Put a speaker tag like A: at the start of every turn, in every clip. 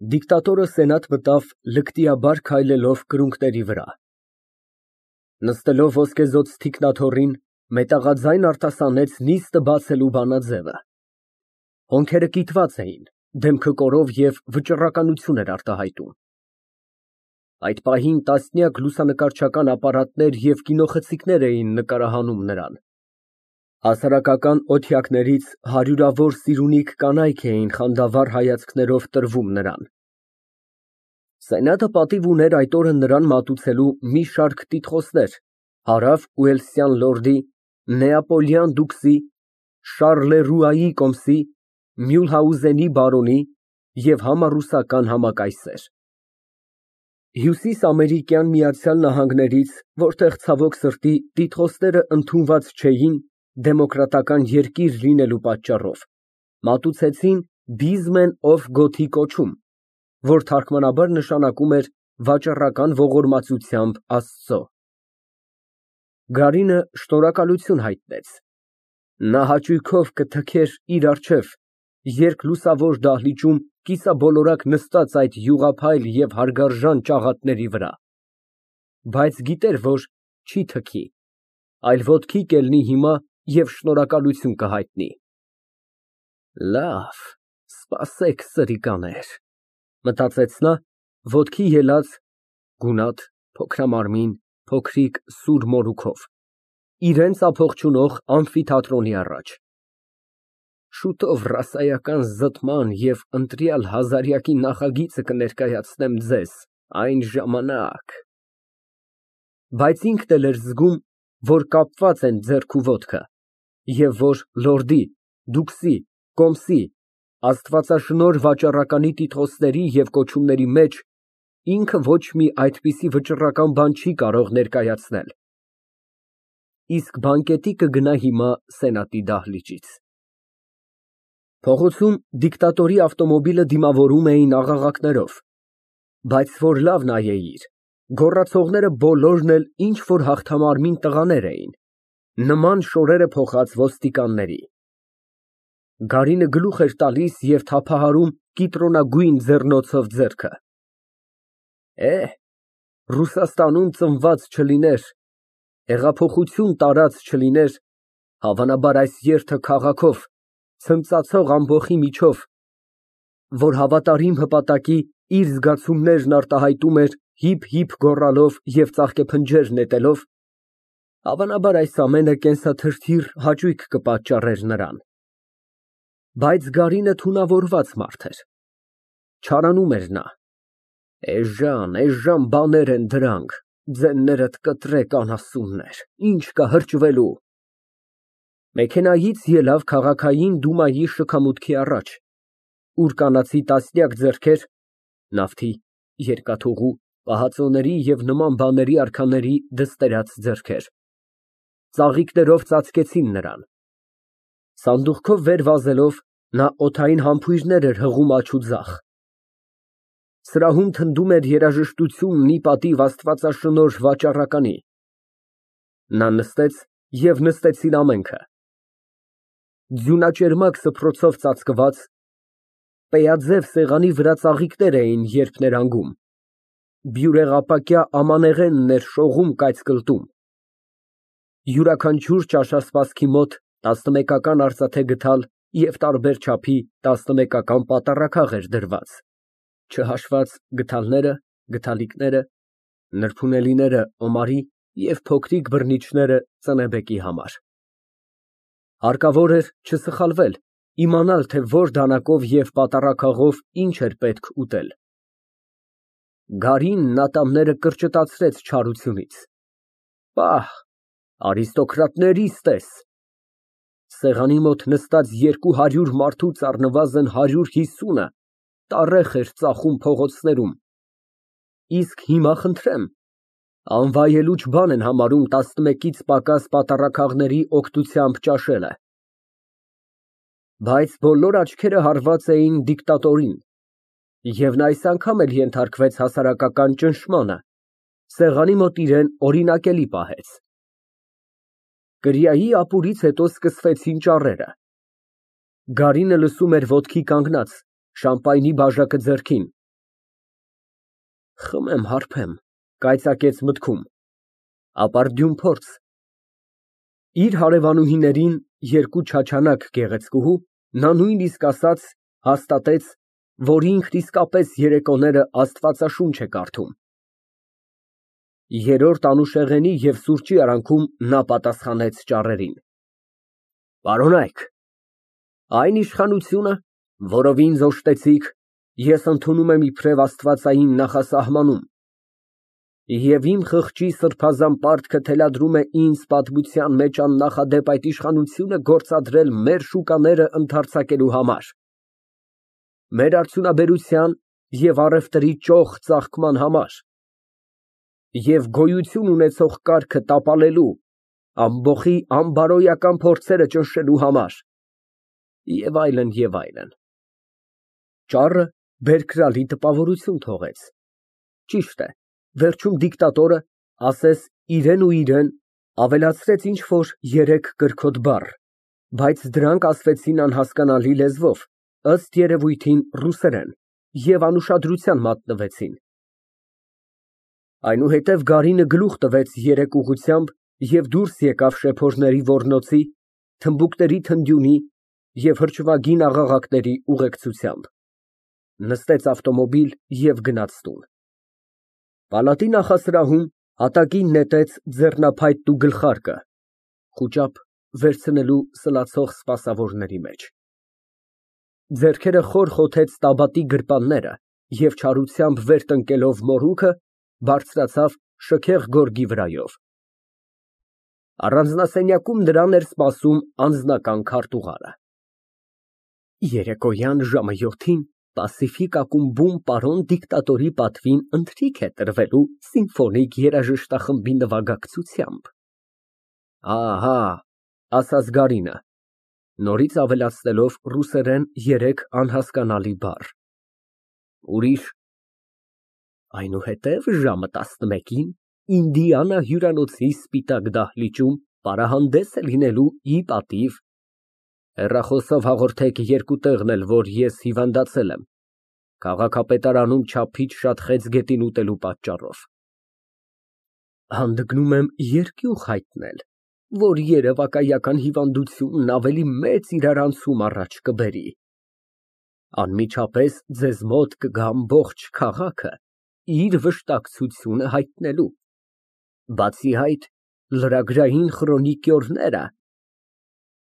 A: Դիկտատորը սենատ մտավ լկտիաբար քայլելով կրունկների վրա։ Նստելով ոսկեզօծ թիկնաթոռին, մետաղաձայն արտասանեց նիստը բացելու բանաձևը։ Հոնքերը կիտված էին, դեմքը կորով և վճռականություն էր արտահայտում։ Այդ պահին տասնյակ լուսանկարչական ապարատներ և կինոխցիկներ էին նկարահանում նրան։ Հասարակական օթյակներից հարյուրավոր սիրունիկ կանայք էին խանդավառ հայացքներով տրվում նրան։ Սենատը պատիվ ուներ այդ օրը նրան մատուցելու մի շարք տիտղոսներ հարավ Ուելսյան լորդի, Նեապոլյան դուքսի, Շառլեռուայի կոմսի, Մյուլհաուզենի բարոնի և համառուսական համակայսեր։ Հյուսիսամերիկյան Միացյալ Նահանգներից, որտեղ ցավոք սրտի տիտղոսները ընդունված չէին դեմոկրատական երկիր լինելու պատճառով, մատուցեցին Բիզմեն օֆ Գոթի կոչում, որ թարգմանաբար նշանակում էր վաճառական ողորմածությամբ Աստծո։ Գարինը շնորհակալություն հայտնեց։ Նա հաճույքով կթքեր իր առջև երկլուսավոր դահլիճում կիսաբոլորակ նստած այդ յուղափայլ և հարգարժան ճաղատների վրա, բայց գիտեր, որ չի թքի, այլ ոտքի կելնի հիմա և շնորհակալություն կհայտնի։ Լավ, սպասեք սրիկաներ, մտածեց նա, ոտքի ելած, գունատ, փոքրամարմին, փոքրիկ սուր մորուքով, իրան ապողջունող ամֆիթատրոնի առաջ։ Շուտով ռասայական զտման և ընտրյալ հազարյակի նախագիծը կներկայացնեմ ձեզ, այն ժամանակ… Բայց ինքն էլ էր զգում, որ կապված են ձեռք ու ոտքը, և որ լորդի, դուքսի, կոմսի, աստվածաշնորհ վաճառականի տիտղոսների և կոչումների մեջ ինքը ոչ մի այդպիսի վճռական բան չի կարող ներկայացնել։ Իսկ բանկետի կգնա հիմա սենատի դահլիճից։ Փողոցում դիկտատորի ավտոմոբիլը դիմավորում էին աղաղակներով, բայց որ լավ նայեիր, գոռացողները բոլորն էլ ինչ֊որ հաղթամարմին տղաներ էին, նման շորերը փոխած ոստիկանների։ Գարինը գլուխ էր տալիս և թափահարում կիտրոնագույն ձեռնոցով ձեռքը։ Ռուսաստանում ծնված չլիներ, հեղափոխություն տարած չլիներ, հավանաբար այս երթը քաղաքով, ցնծացող ամբոխի միջով, որ հավատարիմ հպատակի իր զգացումներն արտահայտում էր հիփ֊հիփ գոռալով և ծաղկեփնջեր նետելով, հավանաբար այս ամենը կենսաթրթիր հաճույք կպատճառեր նրան։ Բայց Գարինը թունավորված մարդ էր, չարանում էր նա։ Էժան բաներ են դրանք, ձեններդ կտրեք անասուններ, ինչ կա հրճվելու։ Մեքենայից ելավ քաղաքային դումայի շքամուտքի առաջ, ուր կանացի տասնյակ ձեռքեր, նավթի, երկաթուղու, պահածոների և նման բաների արքաների դստերած ձեռքեր, ծաղիկներով ծածկեցին նրան։ Սանդուղքով վեր վազելով, նա օդային համբույրներ էր հղում աջ ու ձախ։ Սրահում թնդում էր երաժշտությունն ի պատիվ աստվածաշնորհ վաճառականի։ Նա նստեց և նստեցին ամենքը։ Ձյունաճերմակ սփռոցով ծածկված, պեյաձև սեղանի վրա ծաղիկներ էին երփներանգում, բյուրեղապակյա ամանեղենն էր շողում կայծկլտում։ Յուրաքանչյուր ճաշասպասքի մոտ 11-ական արծաթե գդալ և տարբեր չափի 11-ական պատառաքաղ էր դրված, չհաշված գդալները, գդալիկները, նրբունելիները Օմարի և փոքրիկ բռնիչները ծնեբեկի համար։ Հարկավոր էր չսխալվել, իմանալ, թե որ դանակով և պատառաքաղով ինչ էր պետք ուտել։ Գարինն ատամները կրճտացրեց չարությունից։ Պահ, արիստոկրատներիս տես։ Սեղանի մոտ նստած 200 մարդուց առնվազն 150-ը տառեխ էր ծախում փողոցներում, իսկ հիմա խնդրեմ, անվայելուչ բան են համարում 11-ից պակաս պատառաքաղների օգնությամբ ճաշելը։ Բայց բոլոր աչքերը հարված էին դիկտատորին, և նա այս անգամ էլ ենթարկվեց հասարակական ճնշմանը, սեղանի մոտ իրան օրինակելի պահեց։ Կրիայի ապուրից հետո սկսվեցին ճառերը։ Գարինը լսում էր ոտքի կանգնած, շամպայնի բաժակը ձեռքին, Խմեմ, հարբեմ, կայծակեց մտքում, ապարդյուն փորձ։ Իր հարևանուհիներին, երկու չաչանակ գեղեցկուհու, նա նույնիսկ ասաց, հաստատեց, որ ինքն իսկապես երեկոները աստվածաշունչ է կարդում։ Երրորդ անուշեղենի և սուրճի արանքում նա պատասխանեց ճառերին. Պարոնայք, այն իշխանությունը, որով ինձ օժտեցիք, ես ընդունում եմ իբրև աստվածային նախասահմանում, և իմ խղճի սրբազան պարտքը թելադրում է ինձ պատմության մեջ աննախադեպ այդ իշխանությունը գործադրել մեր շուկաները ընդարձակելու համար, մեր արդյունաբերության և առևտրի ճոխ ծաղկման համար և գոյություն ունեցող կարգը տապալելու, ամբոխի անբարոյական փորձերը ճնշելու համար և այլն, և այլն։ Ճառը բերկրալի տպավորություն թողեց։ Ճիշտ է, վերջում դիկտատորը, ասես իրեն ու իրեն, ավելացրեց ինչ֊որ երեք կրքոտ բառ, բայց դրանք ասվեցին անհասկանալի լեզվով, ըստ երևույթին ռուսերեն, և անուշադրության մատնվեցին։ Այնուհետև Գարինը գլուխ տվեց երեք ուղղությամբ և դուրս եկավ շեփորների ոռնոցի, թմբուկների թնդյունի և հրճվագին աղաղակների ուղեկցությամբ, նստեց ավտոմոբիլ և գնաց տուն։ Պալատի նախասրահում հատակին նետեց ձեռնափայտն ու գլխարկը, խուճապ վերցնելու սլացող սպասավորների մեջ։ Ձեռքերը խոր խոթեց տաբատի գրպանները և չարությամբ վեր տնկելով մորուքը, բարձրացավ շքեղ գորգի վրայով։ Առանձնասենյակում նրան էր սպասում անձնական քարտուղարը։ Երեկոյան ժամը 7-ին Պասիֆիկ ակումբում պարոն դիկտատորի պատվին ընթրիք է տրվելու սիմֆոնիկ երաժշտախմբի նվագակցությամբ։ Ահա, ասաց Գարինը, նորից ավելացնելով ռուսերեն երեք անհասկանալի բառ։ Ուրիշ։ Այնուհետև ժամը 11-ին Ինդիանա հյուրանոցի սպիտակ դահլիճում պարահանդես է լինելու ի պատիվ հեռախոսով հաղորդեք երկու տեղն էլ, որ ես հիվանդացել եմ, քաղաքապետարանում չափից շատ խեցգետին ուտելու պատճառով։ Հանդգնում եմ երկյուղ հայտնել, որ երևակայական հիվանդությունն ավելի մեծ իրարանցում առաջ կբերի։ Անմիջապես ձեզ մոտ կգա ամբողջ քաղաքը իր վշտակցությունը հայտնելու, բացի այդ, լրագրային խրոնիկյորները,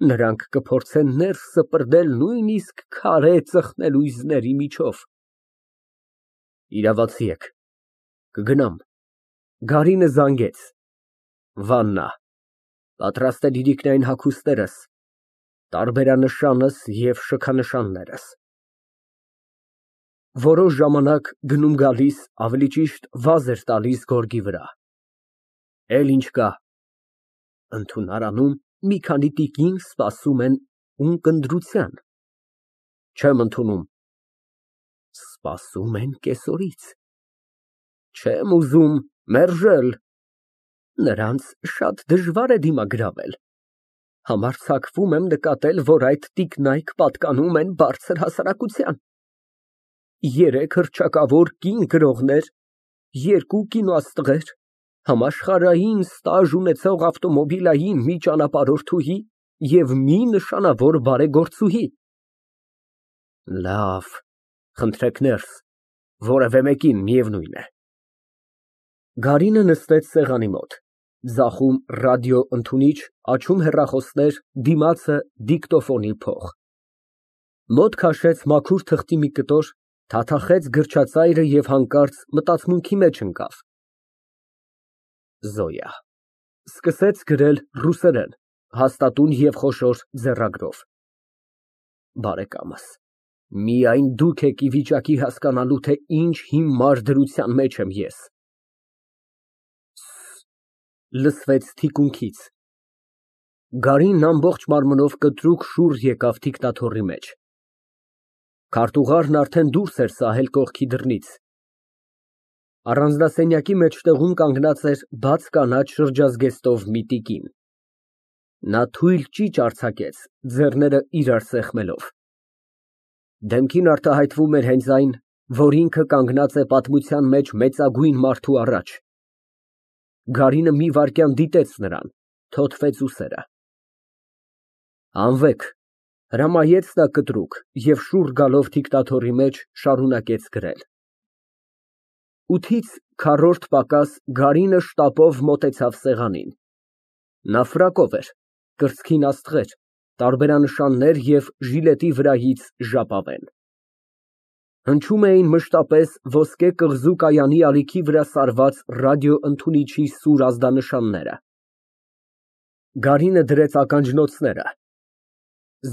A: նրանք կփորձեն ներս սպրդել նույնիսկ քարե ծխնելույզների միջով։ Իրավացի եք, կգնամ։ Գարինը զանգեց։ Վաննա, պատրաստ են իրիկնային հագուստներս, տարբերանշանս և շքանշաններս։ Որոշ ժամանակ գնում֊գալիս, ավելի ճիշտ վազ էր տալիս գորգի վրա։ Էլ ինչ կա։ Ընդունարանում մի քանի տիկին սպասում են ունկնդրության։ Չեմ ընդունում։ Սպասում են կեսօրից։ Չեմ ուզում մերժել։ Նրանց շատ դժվար է դիմագրավել։ Համարձակվում եմ նկատել, որ այդ տիկնայք պատկանում են բարձր հասարակության։ 3 հռչակավոր կին գրողներ, 2 կինոաստղեր, համաշխարհային ստաժ ունեցող ավտոմոբիլային մի ճանապարհորդուհի և մի նշանավոր բարեգործուհի։ Լավ, խնդրեք ներս, որևէ մեկին միևնույն է։ Գարինը նստեց սեղանի մոտ, ձախում ռադիոընդունիչ, աջ հեռախոսներ, դիմացը դիկտոֆոնի փող։ Մոտ քաշեց մաքուր թղթի մի կտոր, թաթախեց գրչածայրը և հանկարծ մտածմունքի մեջ ընկավ։ Զոյա։ Սկսեց գրել ռուսերեն, հաստատուն և խոշոր ձեռագրով։ Բարեկամս, միայն դուք եք ի վիճակի հասկանալու, թե ինչ հիմար դրության մեջ եմ ես։ Լսվեց թիկունքից։ Գարինն ամբողջ մարմնով կտրուկ շուռ եկավ դիկտաթոռի մեջ։ Քարտուղարն արդեն դուրս էր սահել կողքի դռնից։ Առանձնասենյակի մեջտեղում կանգնած էր բաց կանաչ շրջազգեստով մի տիկին։ Նա թույլ ճիչ արձակեց, ձեռները իրար սեղմելով։ Դեմքին արտահայտվում էր հենց այն, որ ինքը կանգնած է պատմության մեջ մեծագույն մարդու առաջ։ Գարինը մի վայրկյան դիտեց նրան, թոթվեց ուսերը։ Անվեք, հրամայեց նա կտրուկ և շուռ գալով դիկտաթորի մեջ շարունակեց գրել։ 8-ից քառորդ պակաս Գարինը շտապով մոտեցավ սեղանին։ Նա ֆրակով էր, կրծքին աստղեր, տարբերանշաններ և ժիլետի վրայից ժապավեն։ Հնչում էին մշտապես ոսկե կղզու կայանի ալիքի վրա սարված ռադիոընդունիչի սուր ազդանշանները։ Գարինը դրեց ականջնոցները։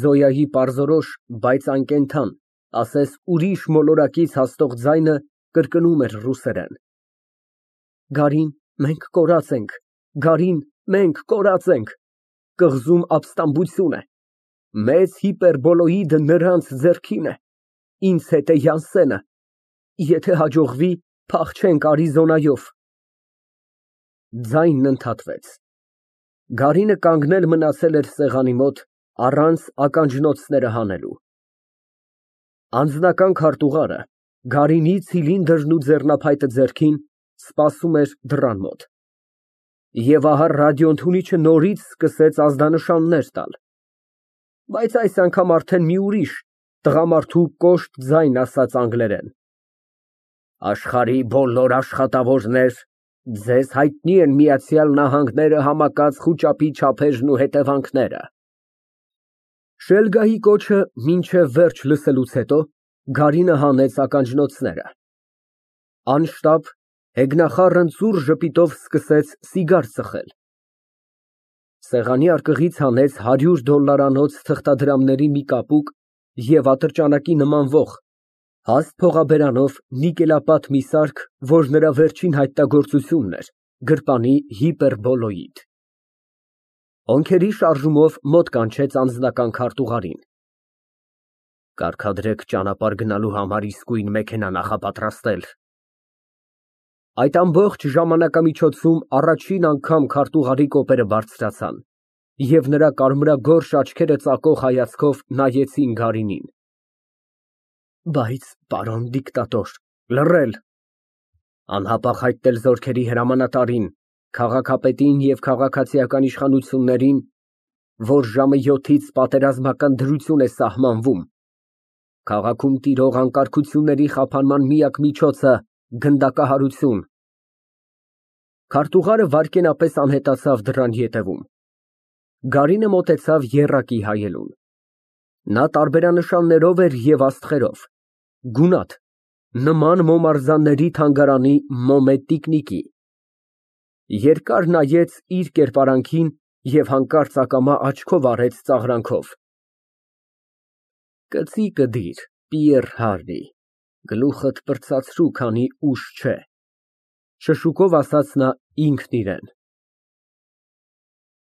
A: Զոյայի պարզորոշ, բայց անկենդան, ասես ուրիշ մոլորակից հասնող ձայնը կրկնում էր ռուսերեն. Գարին, մենք կորած ենք, Գարին, մենք կորած ենք, կղզում ապստամբություն է, մեծ հիպերբոլոիդը նրանց ձեռքին է, ինձ հետ է Յանսենը, եթե հաջողվի, փախչենք Արիզոնայով։ Ձայնն ընդհատվեց։ Գարինը կանգնել մնացել էր սեղանի մոտ, առանց ականջնոցները հանելու։ Անձնական քարտուղարը, Գարինի ցիլինդրն ու ձեռնափայտը ձեռքին, սպասում էր դռան մոտ։ Եվ ահա ռադիոընդունիչը նորից սկսեց ազդանշաններ տալ, բայց այս անգամ արդեն մի ուրիշ, տղամարդու կոշտ ձայն ասաց անգլերեն. Աշխարհի բոլոր աշխատավորներ, ձեզ հայտնի են Միացյալ Նահանգները համակած խուճապի չափերն ու հետևանքները։ Շելգայի կոչը մինչև վերջ լսելուց հետո Գարինը հանեց ականջնոցները։ Անշտապ, հեգնախառն ծուռ ժպիտով սկսեց սիգար ծխել։ Սեղանի արկղից հանեց $100 թղթադրամների մի կապուկ և ատրճանակի նմանվող, հաստ փողաբերանով նիկելապատ մի սարք, որ նրա վերջին հայտնագործությունն էր, գրպանի հիպերբոլոիդ։ Հոնքերի շարժումով մոտ կանչեց անձնական քարտուղարին։ Կարգադրեք ճանապարհ գնալու համար իսկույն մեքենա նախապատրաստել։ Այդ ամբողջ ժամանակամիջոցում առաջին անգամ քարտուղարի կոպերը բարձրացան, և նրա կարմրագորշ աչքերը ծակող հայացքով նայեցին Գարինին։ Բայց, պարոն դիկտատոր, լռել, անհապաղ հայտնել զորքերի հրամանատարին, քաղաքապետին և քաղաքացիական իշխանություններին, որ ժամը 7-ից պատերազմական դրություն է սահմանվում, քաղաքում տիրող անկարգությունների խափանման միակ միջոցը գնդակահարություն։ Քարտուղարը վայրկենապես անհետացավ դռան ետևում։ Գարինը մոտեցավ եռակի հայելուն։ Նա տարբերանշաններով էր և աստղերով, գունատ, նման մոմարզանների թանգարանի մոմե տիկնիկի։ Երկար նայեց իր կերպարանքին և հանկարծ ակամա աչքով արեց ծաղրանքով. Կծիկը դիր, Պիեռ Հարրի, գլուխդ պրծացրու, քանի ուշ չէ, շշուկով ասաց նա ինքն իրան։